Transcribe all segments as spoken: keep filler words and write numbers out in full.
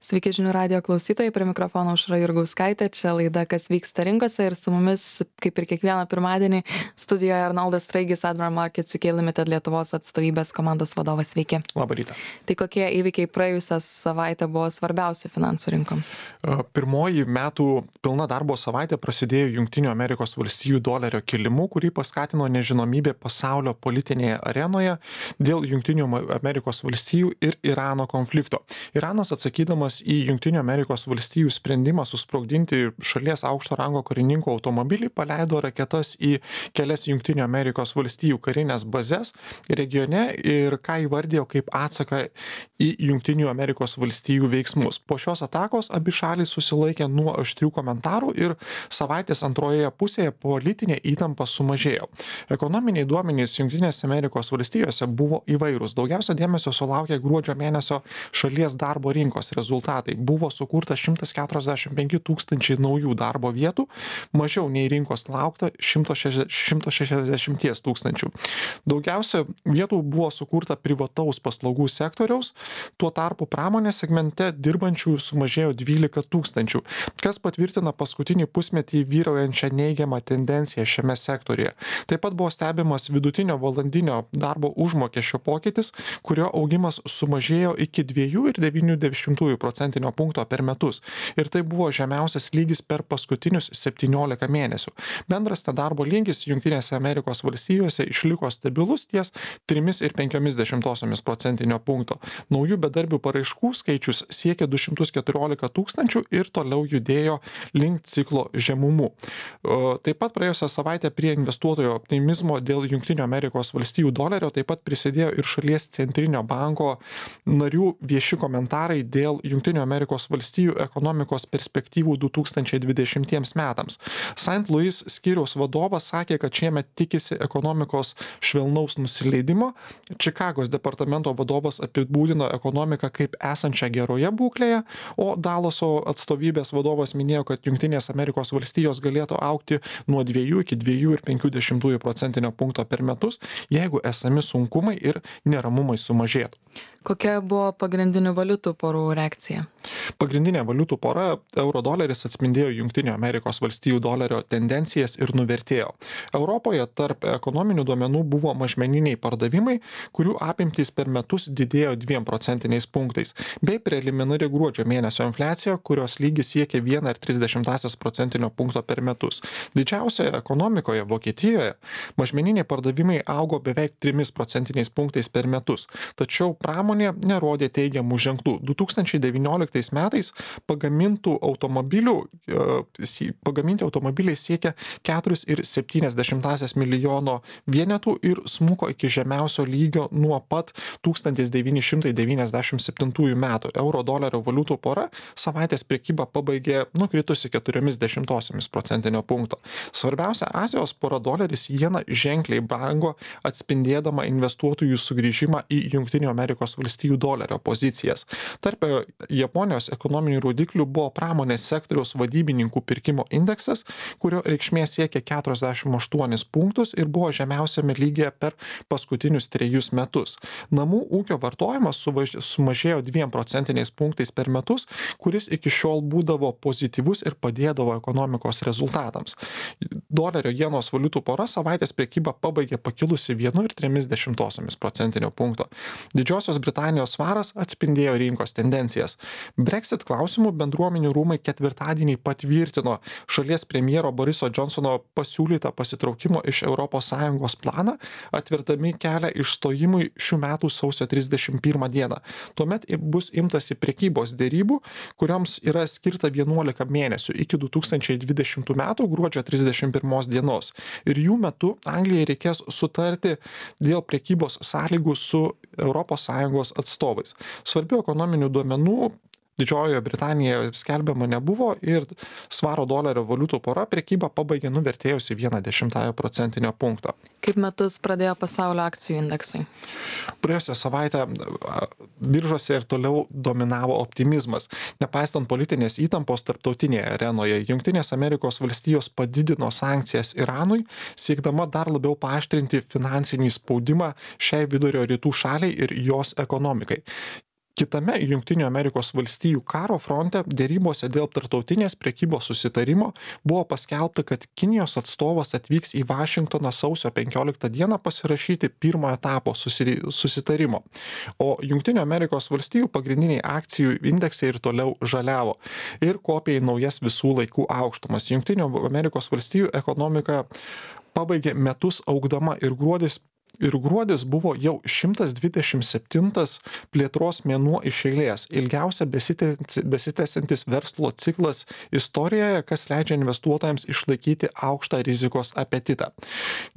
Sveiki žinių radijo klausytojai, prie mikrofono Aušra Jurgauskaitė, čia laida Kas vyksta rinkose ir su mumis, kaip ir kiekvieną pirmadienį, studijoje Arnoldas Straigis, Admiral Markets U K Limited Lietuvos atstovybės komandos vadovas. Sveiki. Labą rytą. Tai kokie įvykiai praėjusią savaitę buvo svarbiausi finansų rinkoms? Pirmoji metų pilna darbo savaitė prasidėjo Jungtinių Amerikos valstijų dolerio kilimu, kurį paskatino nežinomybė pasaulio politinėje arenoje dėl Jungtinių Amerikos valstijų ir Irano konflikto. Iranas atsakydamas į Jungtinių Amerikos valstijų sprendimą susprogdinti šalies aukšto rango karininko automobilį paleido raketas į kelias Jungtinių Amerikos valstijų karinės bazes regione ir ką įvardijo kaip atsaką į Jungtinių Amerikos valstijų veiksmus. Po šios atakos abi šalys susilaikė nuo aštrių komentarų ir savaitės antroje pusėje politinė įtampa sumažėjo. Ekonominiai duomenys Jungtinėse Amerikos valstijose buvo įvairūs. Daugiausia dėmesio sulaukė gruodžio mėnesio šalies darbo rinkos rezultatai. Buvo sukurta šimtas keturiasdešimt penki tūkstančiai naujų darbo vietų, mažiau nei rinkos laukta šimtas šešiasdešimt tūkstančių. Daugiausia vietų buvo sukurta privataus paslaugų sektoriaus, tuo tarpu pramonės segmente dirbančiųjų sumažėjo dvylika tūkstančių, kas patvirtina paskutinį pusmetį vyraujančią neigiamą tendenciją šiame sektoriuje. Taip pat buvo stebimas vidutinio valandinio darbo užmokesčio pokytis, kurio augimas sumažėjo iki dviejų ir devynių dešimtųjų procentinio punkto per metus. Ir tai buvo žemiausias lygis per paskutinius septyniolika mėnesių. Bendras nedarbo lygis Jungtinėse Amerikos valstijose išliko stabilus ties trimis ir penkiomis dešimtosiomis procentinio punkto. Naujų bedarbių paraiškų skaičius siekė du šimtus keturiolika tūkstančių ir toliau judėjo link ciklo žemumų. Taip pat praėjusią savaitę prie investuotojo optimizmo dėl Jungtinių Amerikos valstijų dolerio taip pat prisidėjo ir šalies centrinio banko narių vieši komentarai dėl Jungtinių Amerikos valstijų ekonomikos perspektyvų du tūkstančiai dvidešimtiems metams. Saint Louis skyriaus vadovas sakė, kad šiemet tikisi ekonomikos švelnaus nusileidimo. Čikagos departamento vadovas apibūdino ekonomiką kaip esančią geroje būklėje, o Dalaso atstovybės vadovas minėjo, kad Jungtinės Amerikos valstijos galėtų augti nuo dviejų iki dviejų ir penkių dešimtųjų procentinio punkto per metus, jeigu esami sunkumai ir neramumai sumažėtų. Kokia buvo pagrindinių valiutų porų reakcija? Pagrindinė valiutų pora euro doleris atspindėjo Jungtinių Amerikos valstijų dolerio tendencijas ir nuvertėjo. Europoje tarp ekonominių duomenų buvo mažmeniniai pardavimai, kurių apimtys per metus didėjo dviem procentiniais punktais, bei preliminari gruodžio mėnesio infliacija, kurios lygis siekia vieną ir tris dešimtąsias procentinio punkto per metus. Didžiausioje ekonomikoje Vokietijoje mažmeniniai pardavimai augo beveik trimis procentiniais punktais per metus, tačiau pramonė nerodė teigiamų ženklų. du tūkstančiai devynioliktais metais pagamintų automobilių, pagaminti automobiliai siekia keturis ir septynias dešimtąsias milijono vienetų ir smuko iki žemiausio lygio nuo pat tūkstantis devyni šimtai devyniasdešimt septintųjų metų. Euro dolerio valiutų pora savaitės prekybą pabaigė nukritusi keturiomis dešimtosiomis procentinio punkto. Svarbiausia Azijos pora doleris jena ženkliai brango, atspindėdama investuotojų sugrįžimą į Jungtinių Amerikos valstijų dolerio pozicijas. Tarp Japonijos ekonominių rodiklių buvo pramonės sektoriaus vadybininkų pirkimo indeksas, kurio reikšmė siekia keturiasdešimt aštuonis punktus ir buvo žemiausiame lygyje per paskutinius trejus metus. Namų ūkio vartojimas sumažėjo dviem procentiniais punktais per metus, kuris iki šiol būdavo pozityvus ir padėdavo ekonomikos rezultatams. Dolerio jenos valiutų pora savaitės prekybą pabaigė pakilusi vienu ir trimis dešimtosiomis procentinio punkto. Didžiosios Britanijos svaras atspindėjo rinkos tendencijas. Brexit klausimų bendruomenių rūmai ketvirtadienį patvirtino šalies premjero Boriso Johnsono pasiūlytą pasitraukimo iš Europos Sąjungos planą, atvertami kelią išstojimui šių metų sausio trisdešimt pirmą dieną. Tuomet bus imtasi prekybos dėrybų, kurioms yra skirta vienuolika mėnesių iki du tūkstančiai dvidešimtų metų gruodžio trisdešimt pirmos dienos. Ir jų metu Anglijai reikės sutarti dėl prekybos sąlygų su Europos Sąjungos atstovais. Svarbių ekonominių duomenų Didžiojoje Britanijoje skelbiama nebuvo ir svaro dolerio valiutų pora prekybą pabaigė nuvertėjusi vieną dešimtąją procentinio punkto. Kaip metus pradėjo pasaulio akcijų indeksai? Praėjusią savaitę biržose ir toliau dominavo optimizmas. Nepaisant politinės įtampos tarptautinėje arenoje, Jungtinės Amerikos valstijos padidino sankcijas Iranui, siekdama dar labiau paaštrinti finansinį spaudimą šiai vidurio rytų šaliai ir jos ekonomikai. Kitame Junktinių Amerikos valstijų karo fronte dėrybose dėl tarptautinės prekybos susitarimo buvo paskelbta, kad Kinijos atstovas atvyks į Vašingtoną sausio penkioliktą dieną pasirašyti pirmojo etapo susitarimo. O Junktinių Amerikos valstijų pagrindiniai akcijų indeksai ir toliau žaliavo ir kopė į naujas visų laikų aukštumas. Junktinių Amerikos valstijų ekonomika pabaigė metus augdama ir gruodis Ir gruodis buvo jau šimtas dvidešimt septintas plėtros mėnuo iš eilės, ilgiausia besitęsiantis verslo ciklas istorijoje, kas leidžia investuotojams išlaikyti aukštą rizikos apetitą.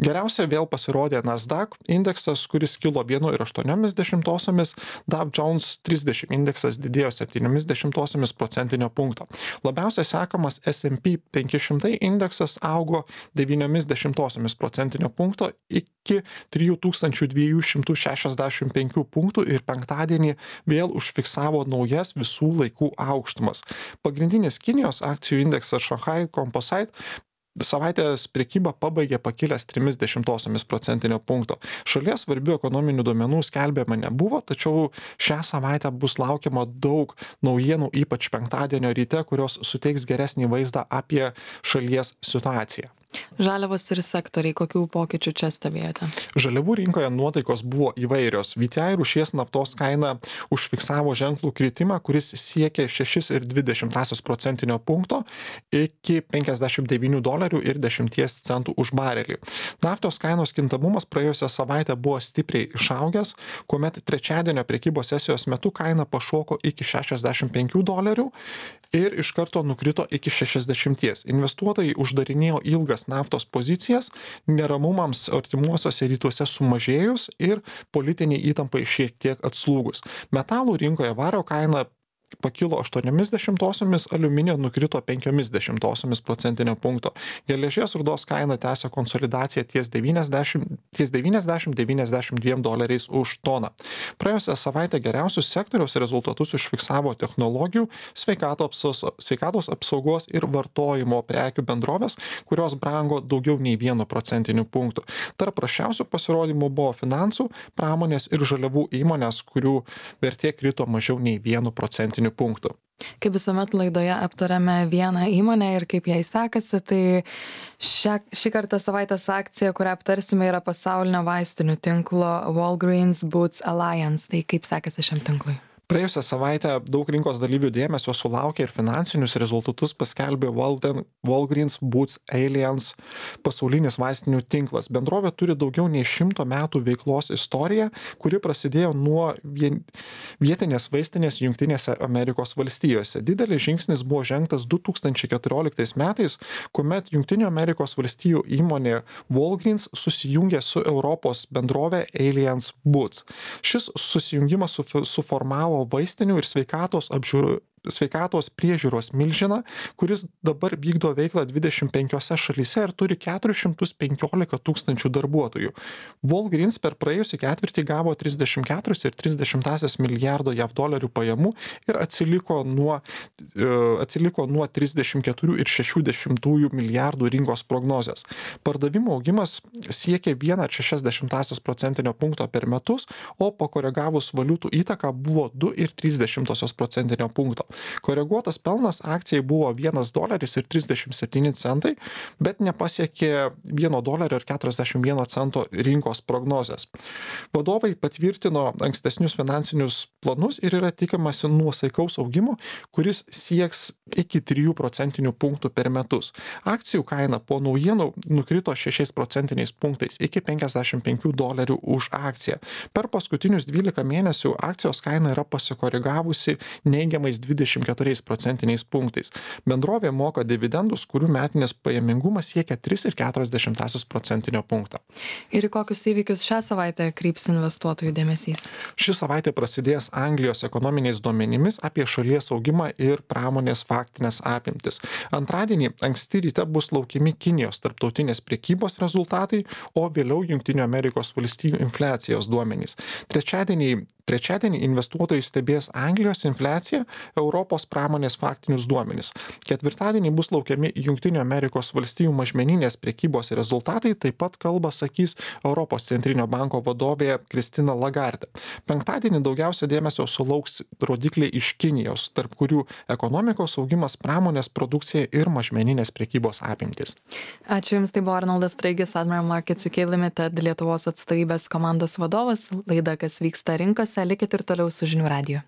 Geriausia vėl pasirodė Nasdaq indeksas, kuris kilo vienu ir aštuoniomis dešimtosiomis, Dow Jones trisdešimt indeksas didėjo septyniomis dešimtosiomis procentinio punkto. Labiausiai sekamas S and P penki šimtai indeksas augo devyniomis dešimtosiomis procentinio punkto iki trijų tūkstančių dviejų šimtų šešiasdešimt penkių punktų ir penktadienį vėl užfiksavo naujas visų laikų aukštumas. Pagrindinis Kinijos akcijų indeksas Shanghai Composite savaitės prekybą pabaigė pakilęs trimis dešimtosiomis procentinio punkto. Šalies svarbių ekonominių duomenų skelbiama nebuvo, tačiau šią savaitę bus laukiama daug naujienų, ypač penktadienio ryte, kurios suteiks geresnį vaizdą apie šalies situaciją. Žaliavos ir sektoriai, kokių pokyčių čia stebėjote? Žaliavų rinkoje nuotaikos buvo įvairios. V T I rūšies naftos kaina užfiksavo ženklų kritimą, kuris siekė šeši ir dvi dešimtąsias procentinio punkto iki penkiasdešimt devynių dolerių ir dešimties centų už barelį. Naftos kainos kintamumas praėjusią savaitę buvo stipriai išaugęs, kuomet trečiadienio prekybos sesijos metu kaina pašoko iki šešiasdešimt penkių dolerių ir iš karto nukrito iki šešiasdešimties. Investuotojai uždarinėjo ilgas naftos pozicijas, neramumams artimuosiuose rytuose sumažėjus ir politiniai įtampai šiek tiek atslūgus. Metalų rinkoje vario kaina pakilo aštuoniomis dešimtosiomis, aliuminio nukrito penkiomis dešimtosiomis procentinio punkto. Geležies rūdos kaina tęsia konsolidaciją ties devyniasdešimt devyniasdešimt dviem doleriais už toną. Praėjusią savaitę geriausius sektoriaus rezultatus užfiksavo technologijų, sveikatos apsaugos ir vartojimo prekių bendrovės, kurios brango daugiau nei vienu procentiniu punktu. Tarp prasčiausių pasirodymų buvo finansų, pramonės ir žaliavų įmonės, kurių vertė krito mažiau nei vienu procentiniu punktų. Kaip visuomet laidoje aptarėme vieną įmonę ir kaip jai sekasi, tai šią, šį kartą savaitės akcija, kurią aptarsime, yra pasaulinio vaistinių tinklo Walgreens Boots Alliance. Tai kaip sekasi šiam tinklui? Praėjusią savaitę daug rinkos dalyvių dėmesio sulaukė ir finansinius rezultatus paskelbė Walden, Walgreens Boots Alliance pasaulinis vaistinių tinklas. Bendrovė turi daugiau nei šimto metų veiklos istoriją, kuri prasidėjo nuo vien, vietinės vaistinės Jungtinėse Amerikos valstijose. Didelis žingsnis buvo žengtas du tūkstančiai keturioliktais metais, kuomet Jungtinių Amerikos valstijų įmonė Walgreens susijungė su Europos bendrovė Alliance Boots. Šis susijungimas suformavo vaistinių ir sveikatos apžiūrų sveikatos priežiūros milžiną, kuris dabar vykdo veiklą dvidešimt penkiose šalyse ir turi keturis šimtus penkiolika tūkstančių darbuotojų. Walgreens per praėjusį ketvirtį gavo trisdešimt keturis ir tris dešimtąsias milijardo jav dolerių pajamų ir atsiliko nuo, atsiliko nuo trisdešimt keturių ir šešių dešimtųjų milijardų rinkos prognozės. Pardavimų augimas siekė vieną ir šešias dešimtąsias procentinio punkto per metus, o pakoregavus valiutų įtaką buvo du ir tris dešimtosios procentinio punkto. Koreguotas pelnas akcijai buvo vienas doleris ir trisdešimt septyni centai, bet nepasiekė vieno dolerio ir keturiasdešimt vieno cento rinkos prognozės. Vadovai patvirtino ankstesnius finansinius planus ir yra tikimasi nuosaikaus augimo, kuris sieks iki trijų procentinių punktų per metus. Akcijų kaina po naujienų nukrito šešiais procentiniais punktais iki penkiasdešimt penkių dolerių už akciją. Per paskutinius dvylika mėnesių akcijos kaina yra pasikoregavusi neigiamais dvidešimt keturiais procentiniais punktais. Bendrovė moka dividendus, kurių metinis pajamingumas siekia tris ir keturias dešimtąsias procentinio punkto. Ir į kokius įvykius šią savaitę kryps investuotojų dėmesys? Ši savaitė prasidės Anglijos ekonominiais duomenimis apie šalies augimą ir pramonės faktinės apimtis. Antradienį anksti ryte bus laukiami Kinijos tarptautinės prekybos rezultatai, o vėliau Jungtinių Amerikos valstijų infliacijos duomenys. Trečiadienį Trečiadienį investuotojai stebės Anglijos infliaciją, euro Europos pramonės faktinius duomenis. Ketvirtadienį bus laukiami Junktinių Amerikos valstijų mažmeninės prekybos rezultatai, taip pat kalbą sakys Europos centrinio banko vadovė Kristina Lagarde. Penktadienį daugiausia dėmesio sulauks rodikliai iš Kinijos, tarp kurių ekonomikos augimas, pramonės produkcija ir mažmeninės prekybos apimtis. Ačiū Jums, tai buvo Arnoldas Straigis, Admiral Markets U K Limited Lietuvos atstovybės komandos vadovas. Laida, kas vyksta rinkose, likit ir toliau su Žinių radiju.